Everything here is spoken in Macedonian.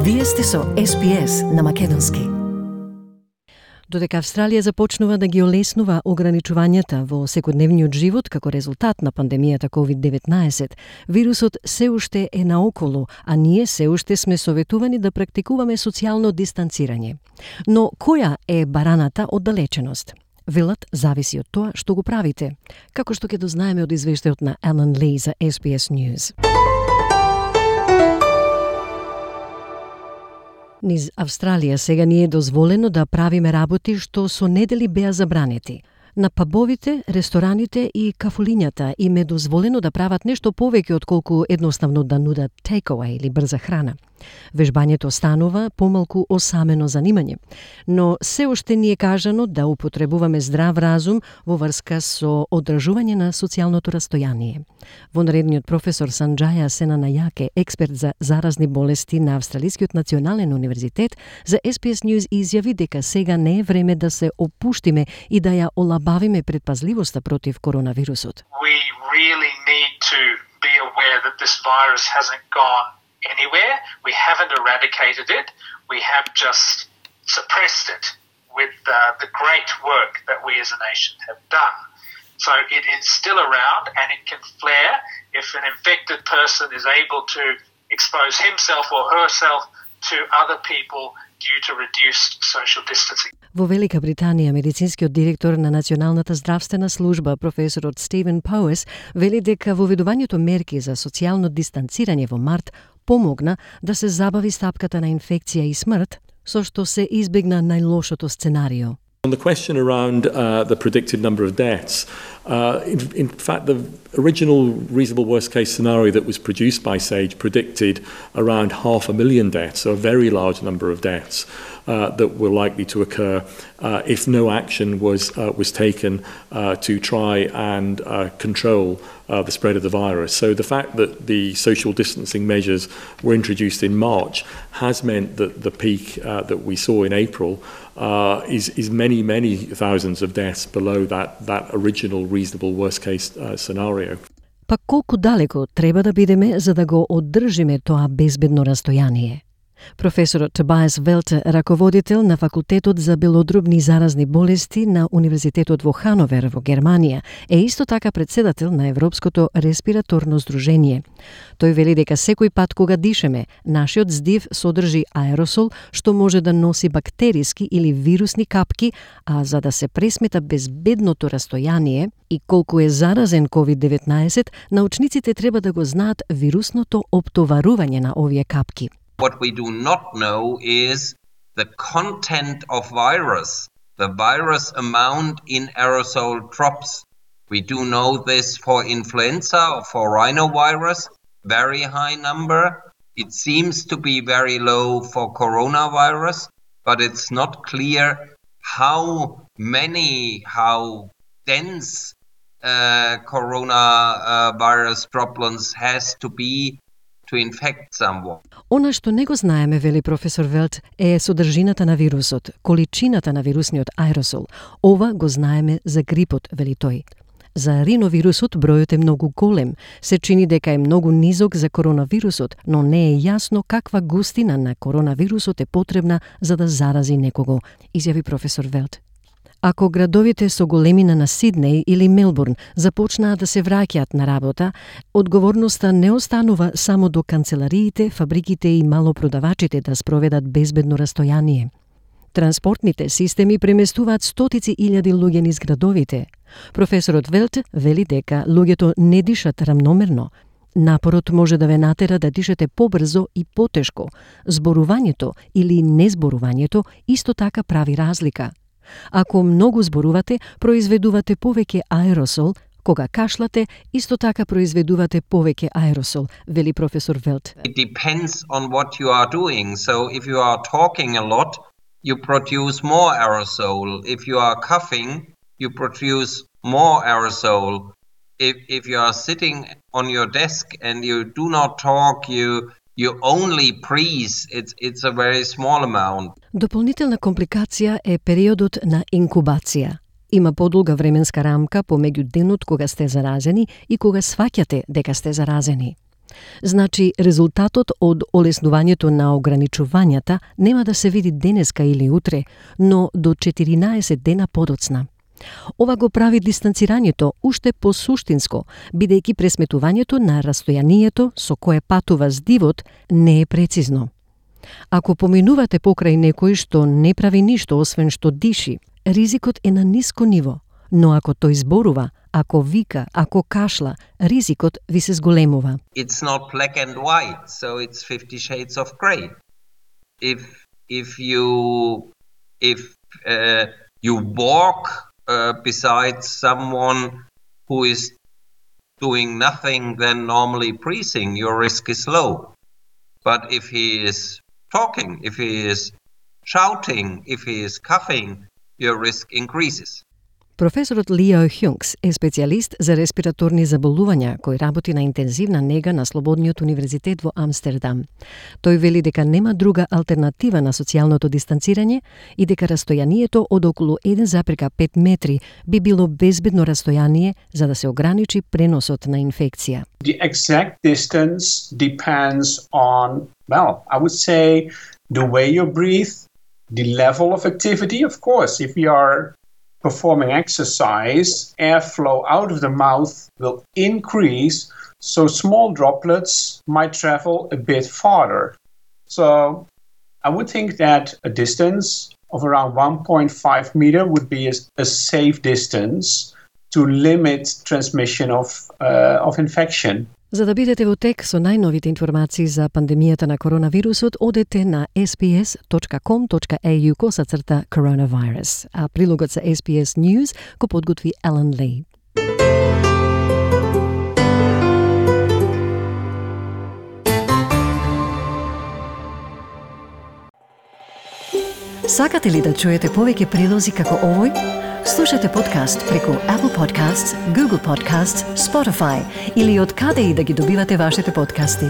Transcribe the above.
Вие сте со SPS на македонски. Додека Австралија започнува да ги олеснува ограничувањата во секојдневниот живот како резултат на пандемијата COVID-19, вирусот се уште е наоколу, а ние се уште сме советувани да практикуваме социјално дистанцирање. Но која е бараната од далеченост? Велат зависи од тоа што го правите, како што ќе дознаеме од извештајот на Alan Lee за SBS News. Низ Австралија сега ни е дозволено да правиме работи што со недели беа забранети. На пабовите, рестораните и кафулињата им е дозволено да прават нешто повеќе отколку едноставно да нудат takeaway или брза храна. Вежбањето станува помалку осамено занимање, но се уште ни е кажано да употребуваме здрав разум во врска со одржување на социјалното растојание. Вонредниот професор Санџаја Сенанајаке, експерт за заразни болести на Австралискиот национален универзитет, за SBS News изјави дека сега не е време да се опуштиме и да ја олабавиме предпазливоста против коронавирусот. We really need to be aware that this virus hasn't gone anywhere. We haven't eradicated it. We have just suppressed it with the great work that we as a nation have done. So it is still around and it can flare if an infected person is able to expose himself or herself to other people due to reduced social distancing. Во Велика Британија, медицинскиот директор на Националната здравствена служба, професорот Стивен Поуес, вели дека воведувањето мерки за социјално дистанцирање во март помогна да се забави стапката на инфекција и смрт, со што се избегна најлошото сценарио. On the question around the predicted number of deaths, in fact, the original reasonable worst-case scenario that was produced by SAGE predicted around 500,000 deaths, so a very large number of deaths that were likely to occur if no action was taken to try and control the spread of the virus. So the fact that the social distancing measures were introduced in March has meant that the peak that we saw in April is many thousands of deaths below that original reasonable worst-case scenario. Па колку далеко треба да бидеме за да го оддржиме тоа безбедно растојание? Професорот Тобиас Велте, раководител на факултетот за белодробни заразни болести на Универзитетот во Хановер во Германија, е исто така председател на Европското респираторно здружение. Тој вели дека секој пат кога дишеме, нашиот здив содржи аеросол што може да носи бактериски или вирусни капки, а за да се пресмета безбедното растојание и колку е заразен COVID-19, научниците треба да го знаат вирусното оптоварување на овие капки. What we do not know is the content of virus, the virus amount in aerosol drops. We do know this for influenza or for rhinovirus, very high number. It seems to be very low for coronavirus, but it's not clear how dense coronavirus droplets has to be to infect someone. Она што не го знаеме, вели професор Велт, е содржината на вирусот, количината на вирусниот аеросол. Ова го знаеме за грипот, вели тој. За риновирусот бројот е многу голем. Се чини дека е многу низок за коронавирусот, но не е јасно каква густина на коронавирусот е потребна за да зарази некого, изјави професор Велт. Ако градовите со големина на Сиднеј или Мелбурн започнаат да се враќаат на работа, одговорноста не останува само до канцелариите, фабриките и малопродавачите да спроведат безбедно растојание. Транспортните системи преместуваат стотици илјади луѓе низ градовите. Професорот Велт вели дека луѓето не дишат рамномерно. Напорот може да ве натера да дишете побрзо и потешко. Зборувањето или незборувањето исто така прави разлика. Ако многу зборувате, произведувате повеќе аеросол, кога кашлате, исто така произведувате повеќе аеросол, вели професор Велт. It depends on what you are doing. So if you are talking a lot, you produce more aerosol. If you are coughing, you produce more aerosol. If you are sitting on your desk and you do not talk, you only breathe, it's a very small amount. Дополнителна компликација е периодот на инкубација. Има подолга временска рамка помеѓу денот кога сте заразени и кога сваќате дека сте заразени. Значи, резултатот од олеснувањето на ограничувањата нема да се види денеска или утре, но до 14 дена подоцна. Ова го прави дистанцирањето уште посуштинско, бидејќи пресметувањето на растојанието со кое патува здивот не е прецизно. Ако поминувате покрај некој што не прави ништо освен што диши, ризикот е на ниско ниво, но ако тој зборува, ако вика, ако кашла, ризикот ви се зголемува. It's not black and white, so it's 50 shades of grey. If you walk beside someone who is doing nothing than normally breathing, your risk is low. But if he is talking, if he is shouting, if he is coughing, your risk increases. Професорот Лио Хјункс е специјалист за респираторни заболувања кој работи на интензивна нега на Слободниот универзитет во Амстердам. Тој вели дека нема друга алтернатива на социјалното дистанцирање и дека растојанието од околу 1,5 метри би било безбедно растојание за да се ограничи преносот на инфекција. The exact distance depends on, well, I would say the way you breathe, the level of activity, of course. If you are performing exercise, airflow out of the mouth will increase, so small droplets might travel a bit farther. So I would think that a distance of around 1.5 meter would be a safe distance to limit transmission of infection. За да бидете во тек со најновите информации за пандемијата на коронавирусот, одете на sbs.com.au/coronavirus, а прилогот за SBS News го подготви Елен Лей. Сакате ли да чуете повеќе прилози како овој? Слушате подкаст преку Apple Podcasts, Google Podcasts, Spotify или од каде и да ги добивате вашите подкасти.